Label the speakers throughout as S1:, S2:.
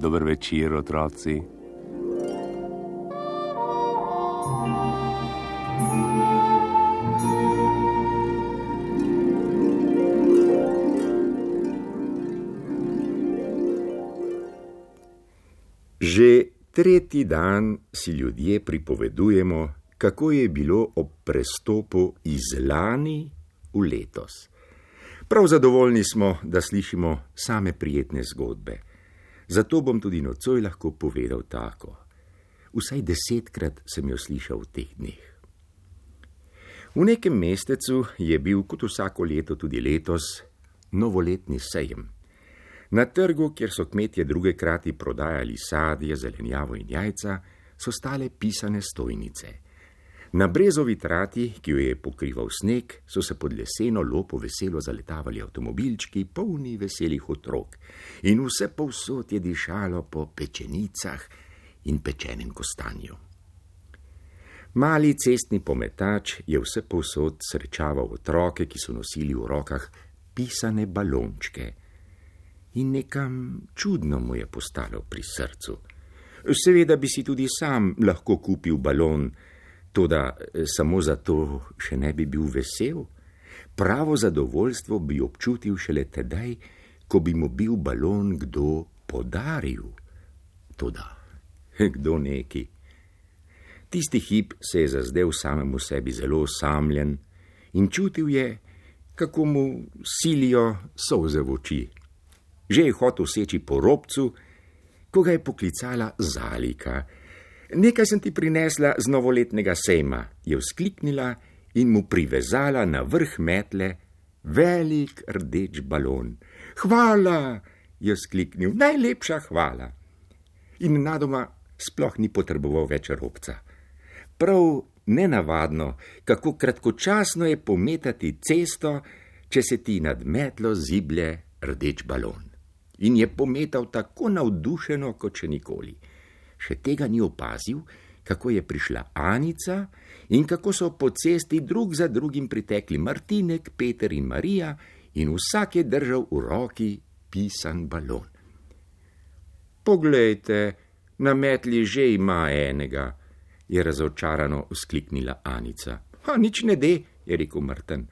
S1: Dober večer, otroci.
S2: Že tretji dan si ljudje pripovedujemo, kako je bilo ob prestopu iz lani v letos. Prav zadovoljni smo, da slišimo same prijetne zgodbe. Zato bom tudi nocoj lahko povedal tako. Vsaj 10-krat sem jo slišal v teh dneh. V nekem mestecu je bil, kot vsako leto tudi letos, novoletni sejem. Na trgu, kjer so kmetje drugekrati prodajali sadje, zelenjavo in jajca, so stale pisane stojnice. Na brezovi trati, ki jo je pokrival sneg, so se pod leseno lopo veselo zaletavali avtomobilčki, polni veselih otrok. In vse povsod je dišalo po pečenicah in pečenem kostanju. Mali cestni pometač je vse povsod srečaval otroke, ki so nosili v rokah pisane balončke. In nekam čudno mu je postalo pri srcu. Seveda bi si tudi sam lahko kupil balon, toda samo zato še ne bi bil vesel. Pravo zadovoljstvo bi občutil šele tedaj, ko bi mu bil balon kdo podaril. Toda, kdo neki? Tisti hip se je zazdel samemu sebi zelo osamljen in čutil je, kako mu silijo solze v oči. Že je hotel seči po robcu, ko ga je poklicala Zalika. Nekaj sem ti prinesla z novoletnega sejma, je vzkliknila in mu privezala na vrh metle velik rdeč balon. Hvala, je vzkliknil, najlepša hvala. In nenadoma sploh ni potreboval več robca. Prav nenavadno, kako kratkočasno je pometati cesto, če se ti nad metlo ziblje rdeč balon. In je pometal tako navdušeno, kot še nikoli. Še tega ni opazil, kako je prišla Anica in kako so po cesti drug za drugim pritekli Martinek, Peter in Marija in vsak je držal v roki pisan balon. Poglejte, na metli že ima enega, je razočarano vzkliknila Anica. Nič ne de, je rekel Martin.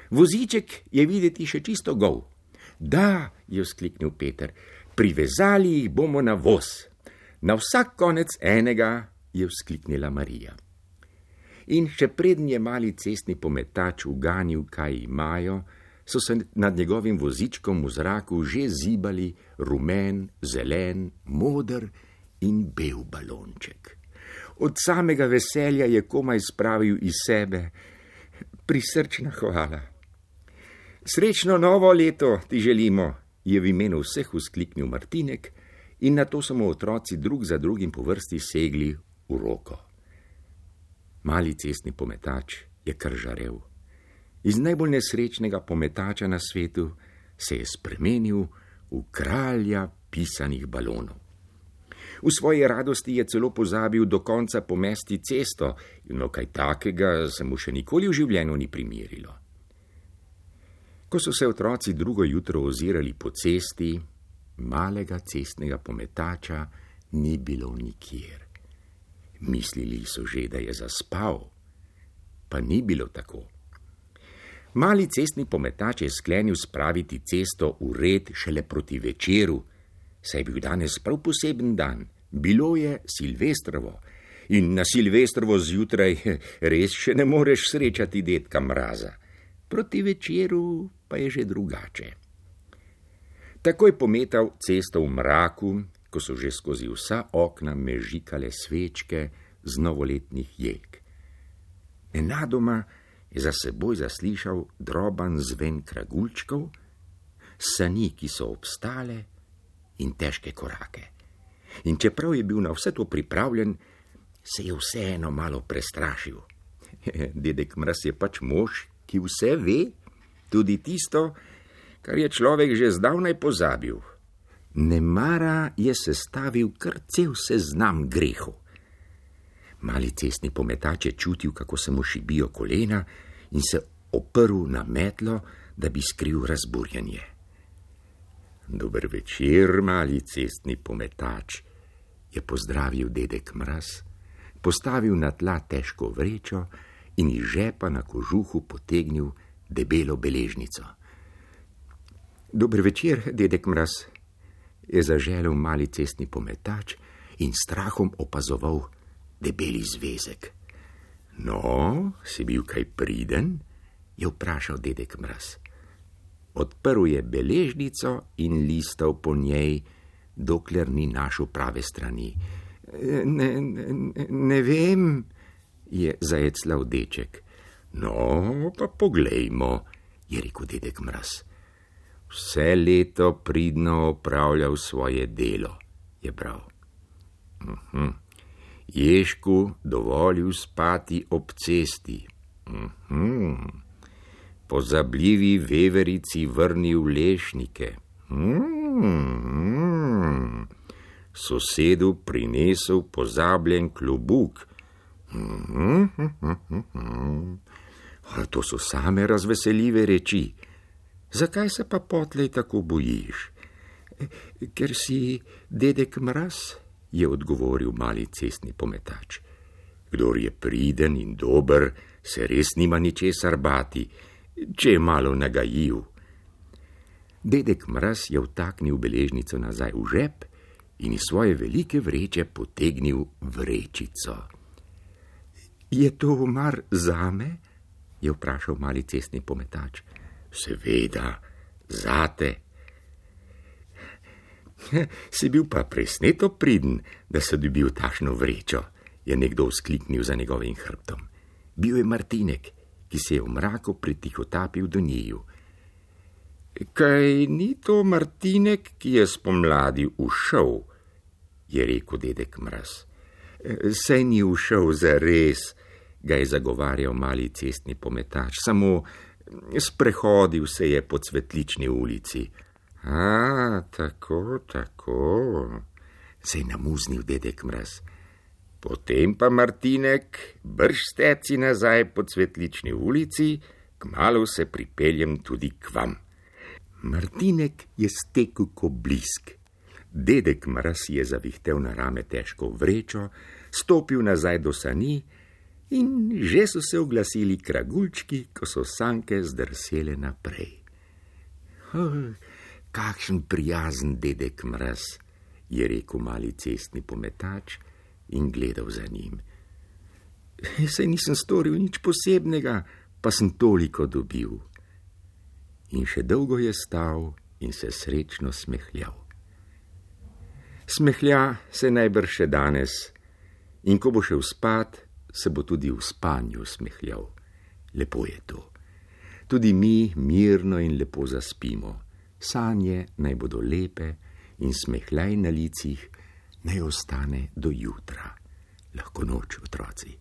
S2: Voziček je videti še čisto gol. Da, je vzkliknil Peter, privezali jih bomo na voz. Na vsak konec enega, je vzkliknila Marija. In še preden je mali cestni pometač uganil, kaj imajo, so se nad njegovim vozičkom v zraku že zibali rumen, zelen, moder in bel balonček. Od samega veselja je komaj spravil iz sebe prisrčna hvala. Srečno novo leto ti želimo, je v imenu vseh vzkliknil Martinek, in nato so mu otroci drug za drugim po vrsti segli v roko. Mali cestni pometač je kar žarel. Iz najbolj nesrečnega pometača na svetu se je spremenil v kralja pisanih balonov. V svoji radosti je celo pozabil do konca pomesti cesto, no kaj takega se mu še nikoli v življenju ni primerilo. Ko so se otroci drugo jutro ozirali po cesti, malega cestnega pometača ni bilo nikjer. Mislili so že, da je zaspal, pa ni bilo tako. Mali cestni pometač je sklenil spraviti cesto v red šele proti večeru, saj je bil danes prav poseben dan, bilo je Silvestrovo in na Silvestrovo zjutraj res še ne moreš srečati dedka Mraza. Proti večeru pa je že drugače. Takoj pometal cesto v mraku, ko so že skozi vsa okna mežikale svečke z novoletnih jeg. Nenadoma je za seboj zaslišal droban zven kragulčkov, sani, ki so obstale in težke korake. In čeprav je bil na vse to pripravljen, se je vseeno malo prestrašil. Dedek Mraz je pač mož, ki vse ve, tudi tisto, kar je človek že zdavnaj pozabil. Nemara je sestavil kar cel seznam grehov. Mali cestni pometač je čutil, kako se mu šibijo kolena in se oprl na metlo, da bi skril razburjenje. Dober večer, mali cestni pometač, je pozdravil dedek Mraz, postavil na tla težko vrečo in iz žepa na kožuhu potegnil debelo beležnico. Dober večer, dedek Mraz, je zaželel mali cestni pometač in strahom opazoval debeli zvezek. No, si bil kaj priden? Je vprašal dedek Mraz. Odprl je beležnico in listal po njej, dokler ni našel prave strani. Ne vem, je zajeclal deček. No, pa poglejmo, je rekel dedek Mraz. Vse leto pridno opravljal svoje delo, je bral. Ježku dovolil spati ob cesti. Pozabljivi veverici vrnil lešnike. Sosedu prinesel pozabljen klobuk. To so same razveseljive reči. Zakaj se pa potlej tako bojiš? Ker si dedek Mraz, je odgovoril mali cestni pometač. Kdor je priden in dober, se res nima ničesar bati, če je malo nagajiv. Dedek Mraz je vtaknil beležnico nazaj v žep in iz svoje velike vreče potegnil vrečico. Je to mar zame? Je vprašal mali cestni pometač. Seveda, zate. Si bil pa presneto priden, da si dobil takšno vrečo, je nekdo vzkliknil za njegovim hrbtom. Bil je Martinek, ki se je v mraku pritihotapil do njiju. Kaj ni to Martinek, ki je spomladi ušel, je rekel dedek Mraz. Saj ni ušel zares, ga je zagovarjal mali cestni pometač, samo sprehodil se je po Cvetlični ulici. Tako, se je namuznil dedek Mraz. Potem pa Martinek, brž steci nazaj po Cvetlični ulici, kmalu se pripeljem tudi k vam. Martinek je stekel ko blisk. Dedek Mraz je zavihtel na rame težko vrečo, stopil nazaj do sani in že so se oglasili kragulčki, ko so sanke zdrsele naprej. Kakšen prijazen dedek Mraz, je rekel mali cestni pometač in gledal za njim. Saj nisem storil nič posebnega, pa sem toliko dobil. In še dolgo je stal in se srečno smehljal. Smehlja se najbrž še danes in ko bo šel spat, se bo tudi v spanju smehljal. Lepo je to. Tudi mi mirno in lepo zaspimo. Sanje naj bodo lepe in smehljaj na licih naj ostane do jutra. Lahko noč, otroci.